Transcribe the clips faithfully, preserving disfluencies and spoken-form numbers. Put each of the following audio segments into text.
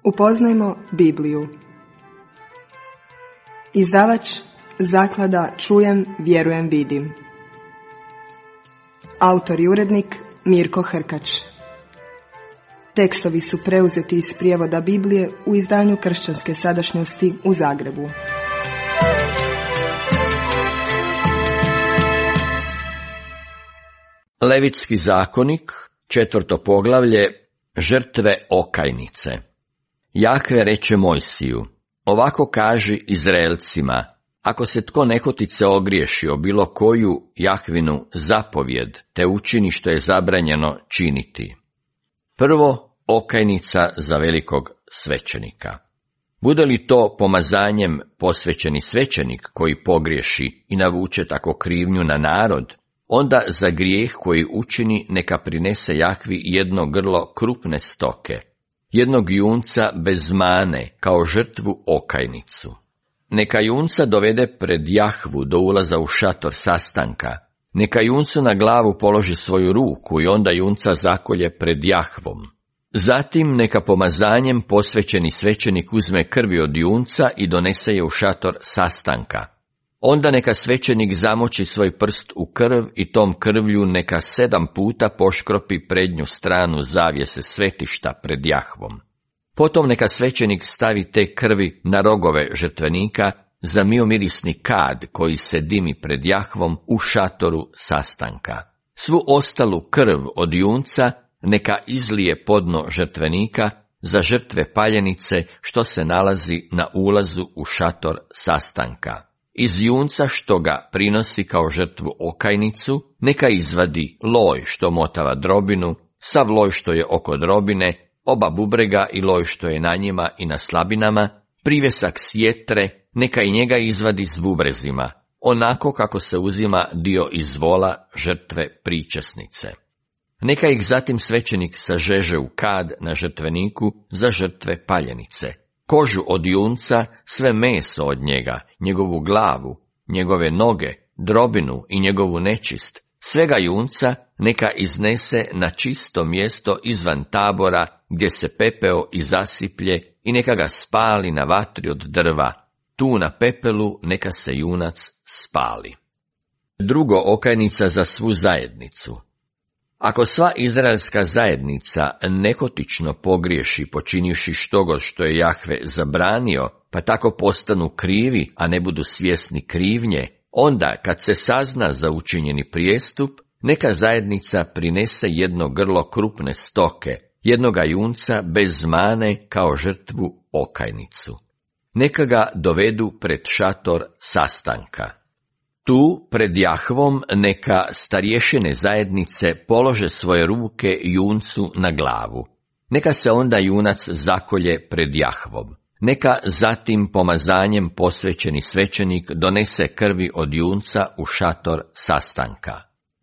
Upoznajmo Bibliju. Izdavač Zaklada Čujem, vjerujem, vidim. Autor i urednik Mirko Hrkač. Tekstovi su preuzeti iz prijevoda Biblije u izdanju Kršćanske sadašnjosti u Zagrebu. Levitski zakonik, četvrto poglavlje, žrtve okajnice. Jahve reče Mojsiju, ovako kaži Izraelcima, ako se tko nehotice ogriješi o bilo koju Jahvinu zapovjed, te učini što je zabranjeno činiti. Prvo, okajnica za velikog svećenika. Bude li to pomazanjem posvećeni svećenik koji pogriješi i navuče tako krivnju na narod, onda za grijeh koji učini neka prinese Jahvi jedno grlo krupne stoke, jednog junca bez mane kao žrtvu okajnicu. Neka junca dovede pred Jahvu do ulaza u šator sastanka, neka juncu na glavu položi svoju ruku i onda junca zakolje pred Jahvom. Zatim neka pomazanjem posvećeni svećenik uzme krvi od junca i donese je u šator sastanka. Onda neka svećenik zamoči svoj prst u krv i tom krvlju neka sedam puta poškropi prednju stranu zavjese svetišta pred Jahvom. Potom neka svećenik stavi te krvi na rogove žrtvenika za miomirisni kad koji se dimi pred Jahvom u šatoru sastanka. Svu ostalu krv od junca neka izlije podno žrtvenika za žrtve paljenice što se nalazi na ulazu u šator sastanka. Iz junca što ga prinosi kao žrtvu okajnicu, neka izvadi loj što motava drobinu, sav loj što je oko drobine, oba bubrega i loj što je na njima i na slabinama, privjesak sjetre, neka i njega izvadi s bubrezima, onako kako se uzima dio iz vola žrtve pričesnice. Neka ih zatim svećenik sažeže u kad na žrtveniku za žrtve paljenice. Kožu od junca, sve meso od njega, njegovu glavu, njegove noge, drobinu i njegovu nečist, svega junca neka iznese na čisto mjesto izvan tabora gdje se pepeo i zasiplje i neka ga spali na vatri od drva, tu na pepelu neka se junac spali. Drugo, okajnica za svu zajednicu. Ako sva izraelska zajednica nehotično pogriješi počinivši štogod što je Jahve zabranio, pa tako postanu krivi, a ne budu svjesni krivnje, onda kad se sazna za učinjeni prijestup, neka zajednica prinese jedno grlo krupne stoke, jednoga junca bez mane kao žrtvu okajnicu. Neka ga dovedu pred šator sastanka. Tu, pred Jahvom, neka starješine zajednice polože svoje ruke juncu na glavu. Neka se onda junac zakolje pred Jahvom. Neka zatim pomazanjem posvećeni svećenik donese krvi od junca u šator sastanka.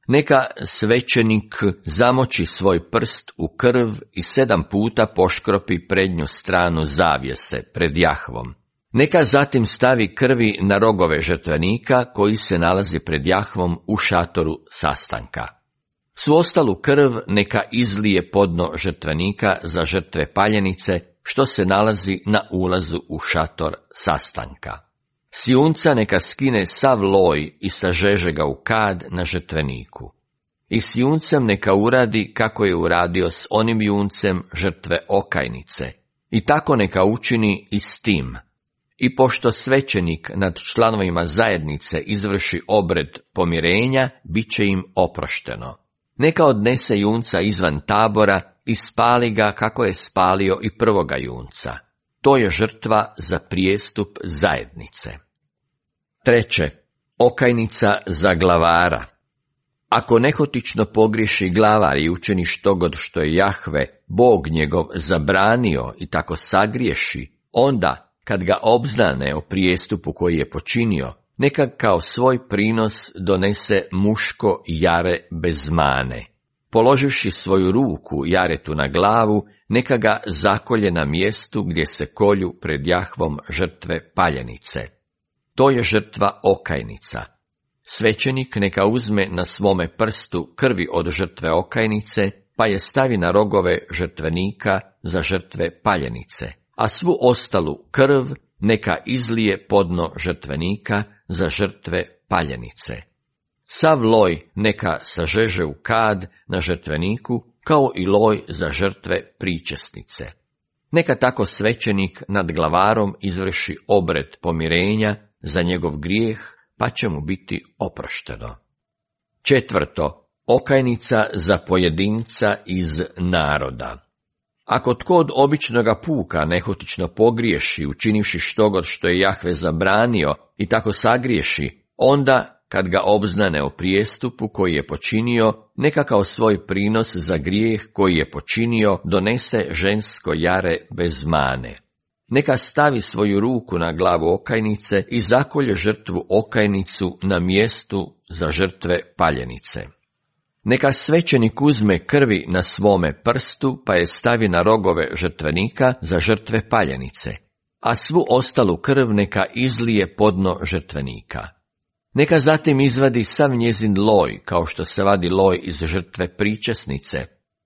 Neka svećenik zamoči svoj prst u krv i sedam puta poškropi prednju stranu zavjese pred Jahvom. Neka zatim stavi krvi na rogove žrtvenika koji se nalazi pred Jahvom u šatoru sastanka. Svu ostalu krv neka izlije podno žrtvenika za žrtve paljenice što se nalazi na ulazu u šator sastanka. S junca neka skine sav loj i sažeže ga u kad na žrtveniku. I s juncem neka uradi kako je uradio s onim juncem žrtve okajnice. I tako neka učini i s tim. I pošto svećenik nad članovima zajednice izvrši obred pomirenja, bit će im oprošteno. Neka odnese junca izvan tabora i spali ga kako je spalio i prvoga junca. To je žrtva za prijestup zajednice. Treće, okajnica za glavara. Ako nehotično pogriješi glavar i učini štogod što je Jahve, Bog njegov, zabranio i tako sagriješi, onda kad ga obznane o prijestupu koji je počinio, neka kao svoj prinos donese muško jare bez mane. Položivši svoju ruku jaretu na glavu, neka ga zakolje na mjestu gdje se kolju pred Jahvom žrtve paljenice. To je žrtva okajnica. Svećenik neka uzme na svome prstu krvi od žrtve okajnice, pa je stavi na rogove žrtvenika za žrtve paljenice, a svu ostalu krv neka izlije podno žrtvenika za žrtve paljenice. Sav loj neka sažeže u kad na žrtveniku, kao i loj za žrtve pričesnice. Neka tako svećenik nad glavarom izvrši obred pomirenja za njegov grijeh, pa će mu biti oprošteno. Četvrto, okajnica za pojedinca iz naroda. Ako tko od običnoga puka nehotično pogriješi, učinivši štogod što je Jahve zabranio i tako sagriješi, onda, kad ga obznane o prijestupu koji je počinio, neka kao svoj prinos za grijeh koji je počinio donese žensko jare bez mane. Neka stavi svoju ruku na glavu okajnice i zakolje žrtvu okajnicu na mjestu za žrtve paljenice. Neka svećenik uzme krvi na svome prstu, pa je stavi na rogove žrtvenika za žrtve paljenice, a svu ostalu krv neka izlije podno žrtvenika. Neka zatim izvadi sav njezin loj, kao što se vadi loj iz žrtve pričesnice.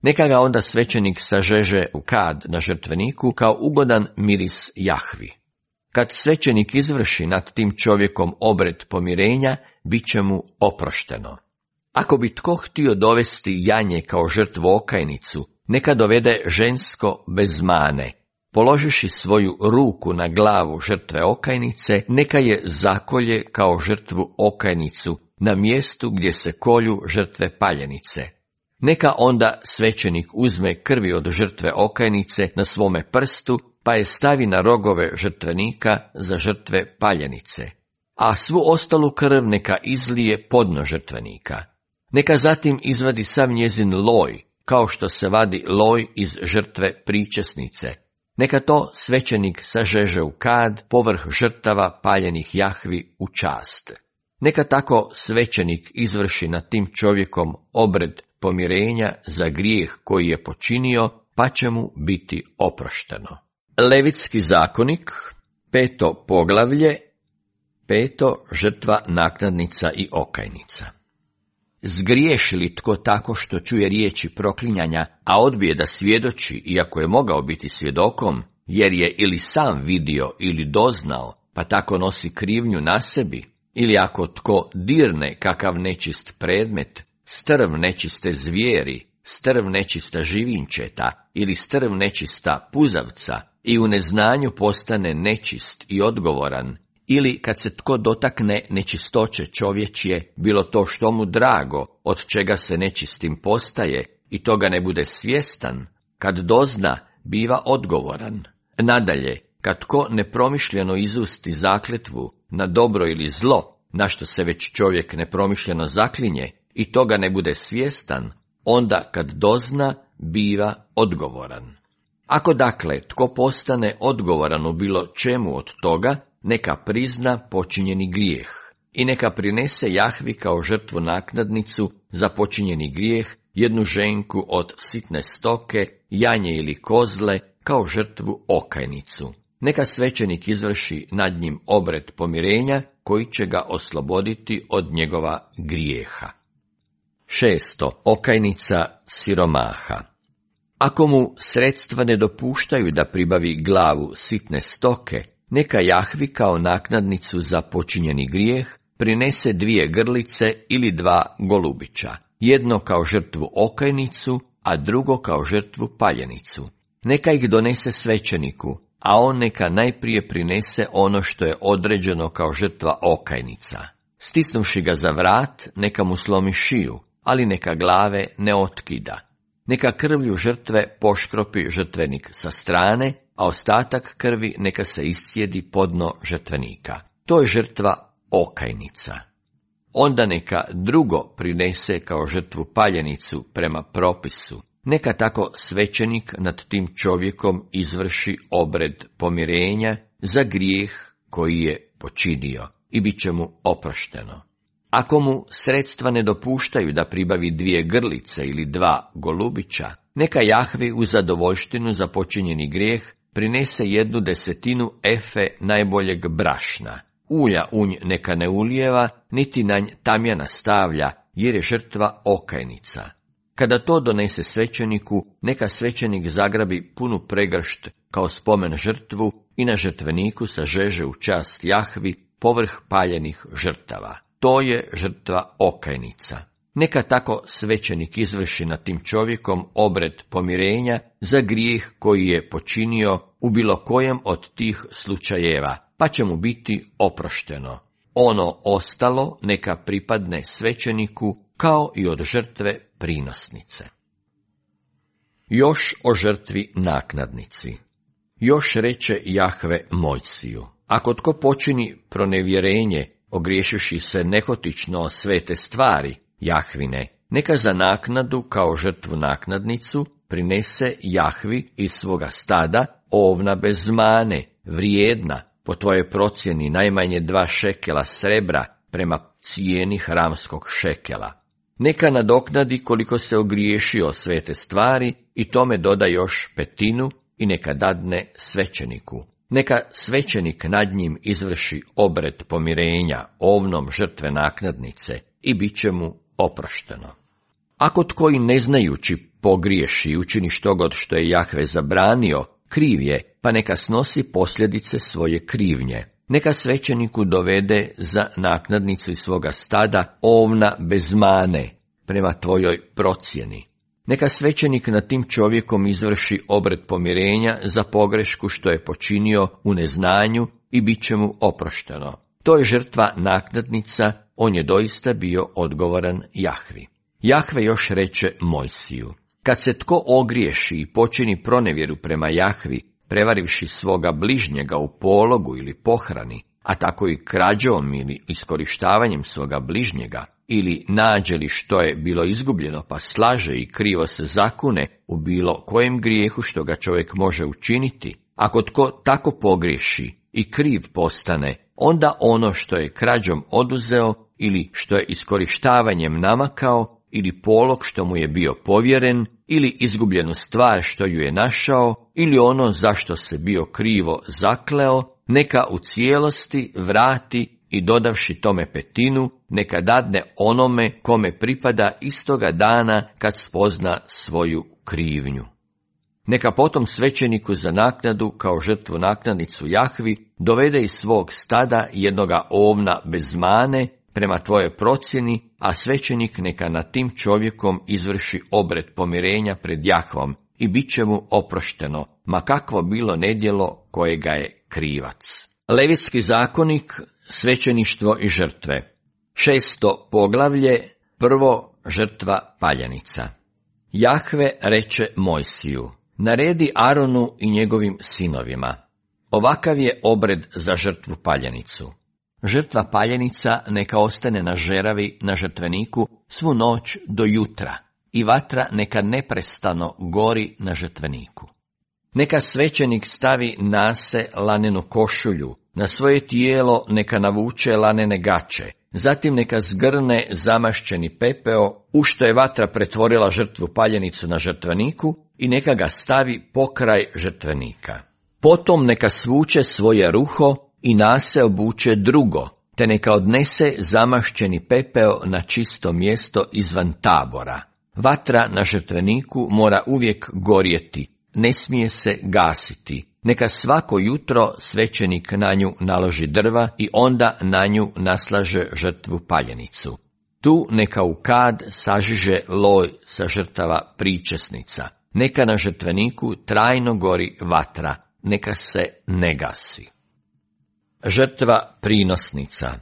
Neka ga onda svećenik sažeže u kad na žrtveniku kao ugodan miris Jahvi. Kad svećenik izvrši nad tim čovjekom obred pomirenja, bit će mu oprošteno. Ako bi tko htio dovesti janje kao žrtvu okajnicu, neka dovede žensko bez mane. Položiši svoju ruku na glavu žrtve okajnice, neka je zakolje kao žrtvu okajnicu na mjestu gdje se kolju žrtve paljenice. Neka onda svećenik uzme krvi od žrtve okajnice na svome prstu, pa je stavi na rogove žrtvenika za žrtve paljenice, a svu ostalu krv neka izlije podno žrtvenika. Neka zatim izvadi sav njezin loj, kao što se vadi loj iz žrtve pričesnice. Neka to svećenik sažeže u kad povrh žrtava paljenih Jahvi u čast. Neka tako svećenik izvrši nad tim čovjekom obred pomirenja za grijeh koji je počinio, pa će mu biti oprošteno. Levitski zakonik, peto poglavlje, peto žrtva naknadnica i okajnica. Zgriješi li tko tako što čuje riječi proklinjanja, a odbije da svjedoči, iako je mogao biti svjedokom, jer je ili sam vidio ili doznao, pa tako nosi krivnju na sebi, ili ako tko dirne kakav nečist predmet, strv nečiste zvijeri, strv nečista živinčeta ili strv nečista puzavca i u neznanju postane nečist i odgovoran, ili kad se tko dotakne nečistoće čovječje, bilo to što mu drago, od čega se nečistim postaje, i toga ne bude svjestan, kad dozna, biva odgovoran. Nadalje, kad tko nepromišljeno izusti zakletvu na dobro ili zlo, na što se već čovjek nepromišljeno zaklinje, i toga ne bude svjestan, onda kad dozna, biva odgovoran. Ako dakle tko postane odgovoran u bilo čemu od toga, neka prizna počinjeni grijeh i neka prinese Jahvi kao žrtvu naknadnicu za počinjeni grijeh jednu ženku od sitne stoke, janje ili kozle kao žrtvu okajnicu. Neka svećenik izvrši nad njim obred pomirenja koji će ga osloboditi od njegova grijeha. Šesto. Okajnica siromaha. Ako mu sredstva ne dopuštaju da pribavi glavu sitne stoke, neka Jahvi kao naknadnicu za počinjeni grijeh prinese dvije grlice ili dva golubića, jedno kao žrtvu okajnicu, a drugo kao žrtvu paljenicu. Neka ih donese svećeniku, a on neka najprije prinese ono što je određeno kao žrtva okajnica. Stisnuvši ga za vrat, neka mu slomi šiju, ali neka glave ne otkida. Neka krvlju žrtve poškropi žrtvenik sa strane, a ostatak krvi neka se iscijedi podno žrtvenika. To je žrtva okajnica. Onda neka drugo prinese kao žrtvu paljenicu prema propisu. Neka tako svećenik nad tim čovjekom izvrši obred pomirenja za grijeh koji je počinio i bit će mu oprošteno. Ako mu sredstva ne dopuštaju da pribavi dvije grlice ili dva golubića, neka Jahvi u zadovoljštinu za počinjeni grijeh prinese jednu desetinu efe najboljeg brašna. Ulja unj neka ne ulijeva, niti na nj tamjana stavlja, jer je žrtva okajnica. Kada to donese svećeniku, neka svećenik zagrabi punu pregršt kao spomen žrtvu i na žrtveniku sažeže u čast Jahvi povrh paljenih žrtava. To je žrtva okajnica. Neka tako svećenik izvrši nad tim čovjekom obred pomirenja za grijeh koji je počinio u bilo kojem od tih slučajeva, pa će mu biti oprošteno. Ono ostalo neka pripadne svećeniku kao i od žrtve prinosnice. Još o žrtvi naknadnici. Još reče Jahve Mojsiju: ako tko počini pronevjerenje, ogriješivši se nehotično o svete stvari Jahvine, neka za naknadu kao žrtvu naknadnicu prinese Jahvi iz svoga stada ovna bez mane, vrijedna, po tvojoj procjeni najmanje dva šekela srebra prema cijeni hramskog šekela. Neka nadoknadi koliko se ogriješio svete stvari i tome doda još petinu i neka dadne svećeniku. Neka svećenik nad njim izvrši obred pomirenja ovnom žrtve naknadnice i bit će mu oprošteno. Ako tko i ne znajući pogriješi i učini štogod što je Jahve zabranio, kriv je, pa neka snosi posljedice svoje krivnje. Neka svećeniku dovede za naknadnicu iz svoga stada ovna bez mane, prema tvojoj procjeni. Neka svećenik nad tim čovjekom izvrši obred pomirenja za pogrešku što je počinio u neznanju i bit će mu oprošteno. To je žrtva naknadnica, on je doista bio odgovoran Jahvi. Jahve još reče Mojsiju: kad se tko ogriješi i počini pronevjeru prema Jahvi, prevarivši svoga bližnjega u pologu ili pohrani, a tako i krađom ili iskorištavanjem svoga bližnjega, ili nađe li što je bilo izgubljeno pa slaže i krivo se zakune u bilo kojem grijehu što ga čovjek može učiniti, ako tko tako pogriješi i kriv postane, onda ono što je krađom oduzeo ili što je iskorištavanjem namakao ili polog što mu je bio povjeren ili izgubljenu stvar što ju je našao ili ono zašto se bio krivo zakleo, neka u cijelosti vrati i dodavši tome petinu, neka dadne onome kome pripada istoga dana kad spozna svoju krivnju. Neka potom svećeniku za naknadu kao žrtvu naknadnicu Jahvi dovede iz svog stada jednoga ovna bez mane prema tvojoj procjeni, a svećenik neka nad tim čovjekom izvrši obred pomirenja pred Jahvom i bit će mu oprošteno, ma kakvo bilo nedjelo kojega je krivac. Levitski zakonik, svećeništvo i žrtve. Šesto poglavlje, prvo žrtva paljenica. Jahve reče Mojsiju: naredi Aronu i njegovim sinovima: ovakav je obred za žrtvu paljenicu. Žrtva paljenica neka ostane na žeravi na žrtveniku svu noć do jutra i vatra neka neprestano gori na žrtveniku. Neka svećenik stavi nase lanenu košulju, na svoje tijelo neka navuče lanene gaće, zatim neka zgrne zamašćeni pepeo, u što je vatra pretvorila žrtvu paljenicu na žrtveniku i neka ga stavi pokraj žrtvenika. Potom neka svuče svoje ruho i nase obuče drugo, te neka odnese zamašćeni pepeo na čisto mjesto izvan tabora. Vatra na žrtveniku mora uvijek gorjeti, ne smije se gasiti. Neka svako jutro svećenik na nju naloži drva i onda na nju naslaže žrtvu paljenicu. Tu neka u kad sažiže loj sa žrtava pričesnica. Neka na žrtveniku trajno gori vatra, neka se ne gasi. Žrtva prinosnica.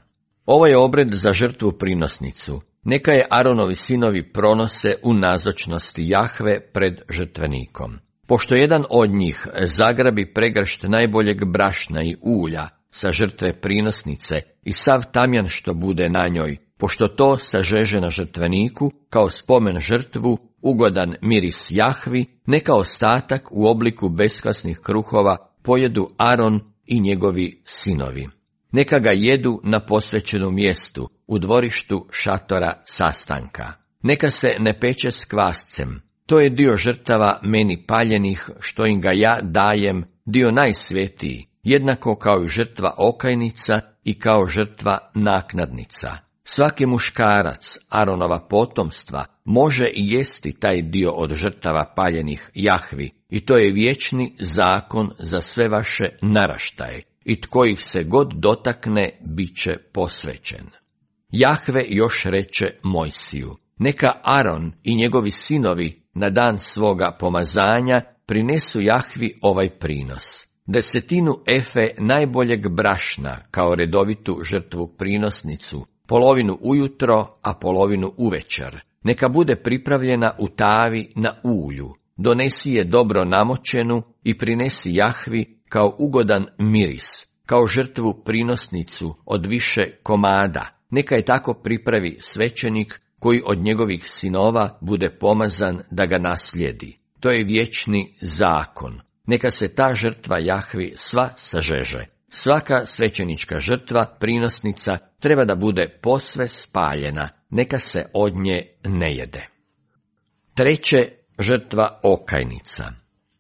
Ovo je obred za žrtvu prinosnicu. Neka je Aronovi sinovi pronose u nazočnosti Jahve pred žrtvenikom. Pošto jedan od njih zagrabi pregršt najboljeg brašna i ulja sa žrtve prinosnice i sav tamjan što bude na njoj, pošto to sažeže na žrtveniku kao spomen žrtvu, ugodan miris Jahvi, neka ostatak u obliku beskvasnih kruhova pojedu Aron i njegovi sinovi. Neka ga jedu na posvećenom mjestu, u dvorištu šatora sastanka. Neka se ne peče s kvascem. To je dio žrtava meni paljenih, što im ga ja dajem, dio najsvetiji, jednako kao i žrtva okajnica i kao žrtva naknadnica. Svaki muškarac Aronova potomstva može i jesti taj dio od žrtava paljenih Jahvi i to je vječni zakon za sve vaše naraštaje, i tko ih se god dotakne, bit će posvećen. Jahve još reče Mojsiju, neka Aron i njegovi sinovi na dan svoga pomazanja prinesu Jahvi ovaj prinos. Desetinu efe najboljeg brašna kao redovitu žrtvu prinosnicu, polovinu ujutro, a polovinu uvečer. Neka bude pripravljena u tavi na ulju. Donesi je dobro namočenu i prinesi Jahvi kao ugodan miris, kao žrtvu prinosnicu od više komada. Neka je tako pripravi svećenik koji od njegovih sinova bude pomazan da ga naslijedi. To je vječni zakon. Neka se ta žrtva Jahvi sva sažeže. Svaka svećenička žrtva, prinosnica, treba da bude posve spaljena, neka se od nje ne jede. Treće, žrtva okajnica.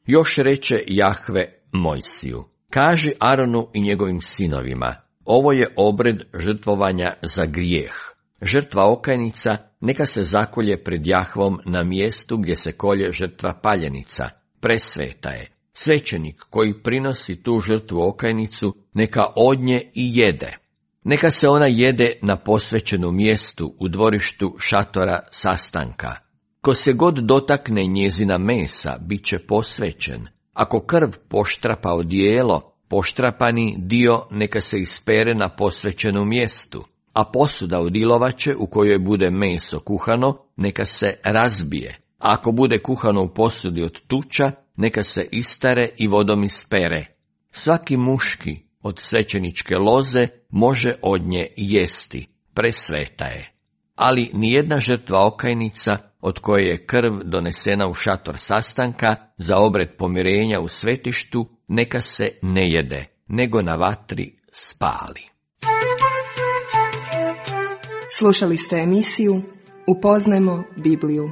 Još reče Jahve Mojsiju, kaži Aronu i njegovim sinovima, ovo je obred žrtvovanja za grijeh. Žrtva okajnica neka se zakolje pred Jahvom na mjestu gdje se kolje žrtva paljenica, presveta je. Svećenik koji prinosi tu žrtvu okajnicu, neka od nje i jede. Neka se ona jede na posvećenu mjestu u dvorištu šatora sastanka. Ko se god dotakne njezina mesa, bit će posvećen. Ako krv poštrapa odijelo, poštrapani dio neka se ispere na posvećenu mjestu, a posuda od ilovače u kojoj bude meso kuhano, neka se razbije. A ako bude kuhano u posudi od tuča, neka se istare i vodom ispere. Svaki muški od svećeničke loze može od nje jesti, presveta je. Ali nijedna žrtva okajnica od koje je krv donesena u šator sastanka za obred pomirenja u svetištu, neka se ne jede, nego na vatri spali. Slušali ste emisiju Upoznajmo Bibliju.